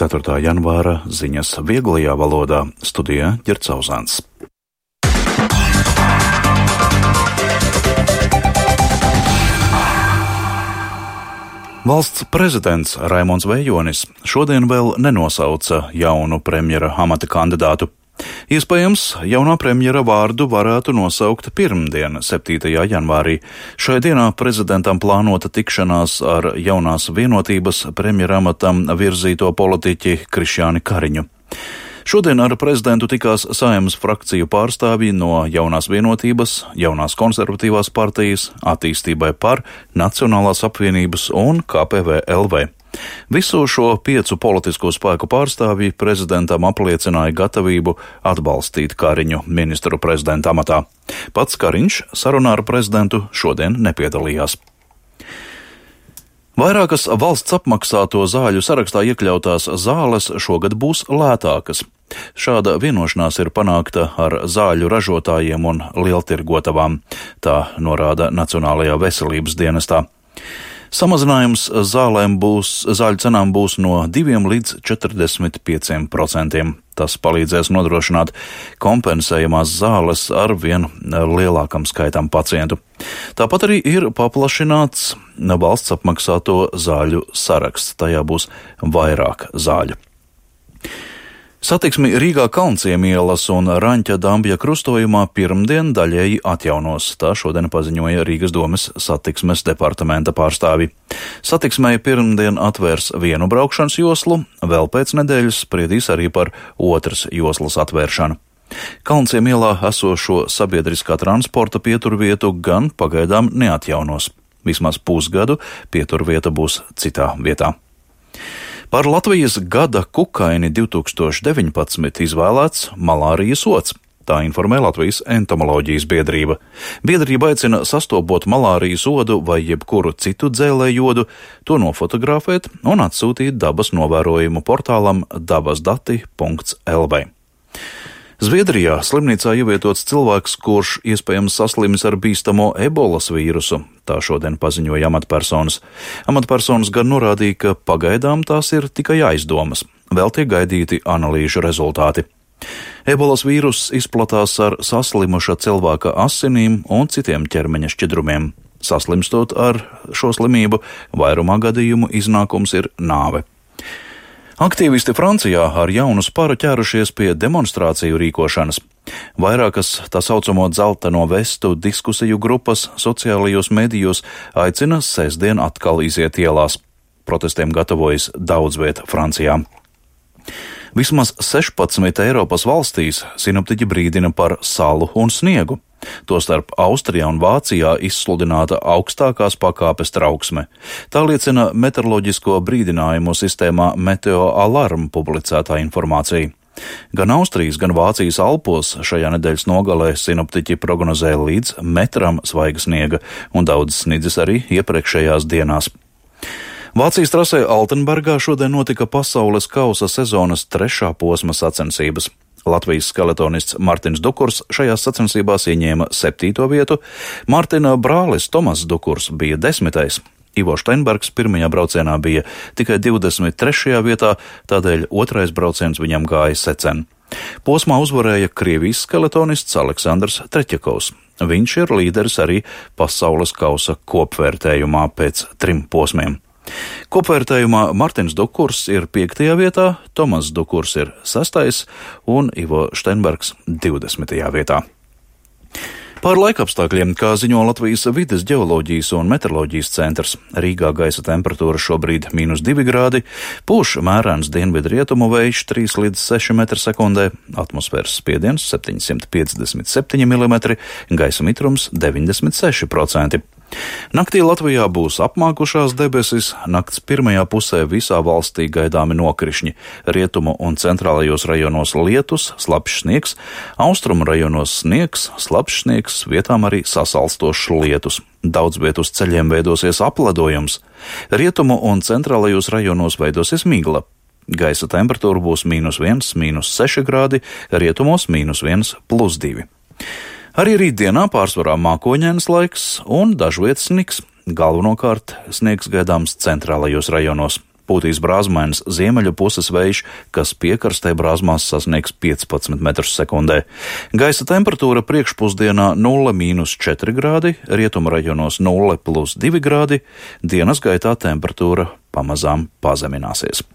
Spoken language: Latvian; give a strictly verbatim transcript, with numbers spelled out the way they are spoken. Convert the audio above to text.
ceturtā janvāra ziņas vieglajā valodā, studijā Ģerts Auzāns. Valsts prezidents Raimonds Vejonis šodien vēl nenosauca jaunu premjera amata kandidātu. Iespējams, jaunā premjera vārdu varētu nosaukt pirmdien, septītajā janvārī. Šai dienā prezidentam plānota tikšanās ar jaunās vienotības premjera amatam virzīto politiķi Krišjāni Kariņu. Šodien ar prezidentu tikās Saeimas frakciju pārstāvji no jaunās vienotības, jaunās konservatīvās partijas, attīstībai par, Nacionālās apvienības un K P V L V. Visu šo piecu politisko spēku pārstāvji prezidentam apliecināja gatavību atbalstīt Kariņu ministru prezidenta amatā. Pats Kariņš sarunā ar prezidentu šodien nepiedalījās. Vairākas valsts apmaksāto zāļu sarakstā iekļautās zāles šogad būs lētākas. Šāda vienošanās ir panākta ar zāļu ražotājiem un lieltirgotavām, tā norāda Nacionālajā veselības dienestā. Samazinājums zālēm būs, zāļu cenām būs no diviem līdz četrdesmit pieciem procentiem. Tas palīdzēs nodrošināt kompensējamās zāles ar vien lielākam skaitam pacientu. Tāpat arī ir paplašināts valsts apmaksāto zāļu saraksts. Tajā būs vairāk zāļu. Satiksmi Rīgā Kalnciemielas un Raņķa Dambja krustojumā pirmdien daļēji atjaunos, tā šodien paziņoja Rīgas domes satiksmes departamenta pārstāvi. Satiksmei pirmdien atvērs vienu braukšanas joslu, vēl pēc nedēļas spriedīs arī par otras joslas atvēršanu. Kalnciemielā esošo sabiedriskā transporta pieturvietu gan pagaidām neatjaunos. Vismaz pusgadu pieturvieta būs citā vietā. Par Latvijas gada kukaini divtūkstoš deviņpadsmit izvēlēts malārijas ods. Tā informē Latvijas entomoloģijas biedrība. Biedrība aicina sastopot malārijas odu vai jebkuru citu dzēlēju odu, to nofotografēt un atsūtīt dabas novērojumu portālam dabasdati punkts L V. Zviedrijā slimnīcā ievietots cilvēks, kurš iespējams saslimis ar bīstamo ebolas vīrusu. Tā šodien paziņoja amatpersonas. Amatpersonas gan norādīja, ka pagaidām tās ir tikai aizdomas. Vēl tiek gaidīti analīžu rezultāti. Ebolas vīruss izplatās ar saslimuša cilvēka asinīm un citiem ķermeņa šķidrumiem. Saslimstot ar šo slimību, vairumā gadījumu iznākums ir nāve. Aktīvisti Francijā ar jaunu sparu ķērušies pie demonstrāciju rīkošanas. Vairākas tā saucamo dzelteno vestu diskusiju grupas sociālajos medijos aicina sestdien atkal iziet ielās. Protestiem gatavojas daudz vieta Francijā. Vismaz sešpadsmit Eiropas valstīs sinoptiķi brīdina par salu un sniegu. Tostarp Austrijā un Vācijā izsludināta augstākās pakāpes trauksme. Tā liecina meteoroloģisko brīdinājumu sistēmā Meteo Alarm publicētā informācija. Gan Austrijas, gan Vācijas Alpos šajā nedēļas nogalē sinoptiķi prognozē līdz metram svaiga sniega, un daudz snidzis arī iepriekšējās dienās. Vācijas trasē Altenbergā šodien notika pasaules kausa sezonas trešā posma sacensības. Latvijas skeletonists Martins Dukurs šajās sacensībās ieņēma septīto vietu, Martina brālis Tomas Dukurs bija desmitais. Ivo Steinbergs pirmajā braucienā bija tikai divdesmit trešajā vietā, tādēļ otrais brauciens viņam gāja secen. Posmā uzvarēja Krievijas skeletonists Aleksandrs Treķakovs. Viņš ir līderis arī pasaules kausa kopvērtējumā pēc trim posmiem. Kopvērtējumā Martins Dukurs ir piektajā vietā, Tomas Dukurs ir sestais un Ivo Steinbergs divdesmitajā vietā. Par laikapstākļiem, kā ziņo Latvijas vides ģeoloģijas un meteoroloģijas centrs, Rīgā gaisa temperatūra šobrīd mīnus divi grādi, pūš mērens dienvidu rietumu vējš trīs līdz seši metri sekundē, atmosfēras spiediens septiņsimt piecdesmit septiņi milimetri, gaisa mitrums deviņdesmit seši procenti. Naktī Latvijā būs apmākušās debesis, nakts pirmajā pusē visā valstī gaidāmi nokrišņi, rietumu un centrālajos rajonos lietus, slapjš sniegs, austrumu rajonos sniegs, slapjš sniegs, vietām arī sasalstošs lietus. Daudz viet uz ceļiem veidosies apledojums, rietumu un centrālajos rajonos veidosies migla. Gaisa temperatūra būs mīnus viens, mīnus seši grādi, rietumos mīnus viens, plus divi. Arī rītdienā pārsvarā mākoņains laiks un dažviet sniks, galvenokārt sniegs gaidāms centrālajos rajonos. pūtīs brāzmains ziemeļu puses vējš, kas piekrastē brāzmās sasniegs piecpadsmit metrus sekundē. Gaisa temperatūra priekšpusdienā nulle mīnus četri grādi, rietumu rajonos nulle plus divi grādi, dienas gaitā temperatūra pamazām pazemināsies.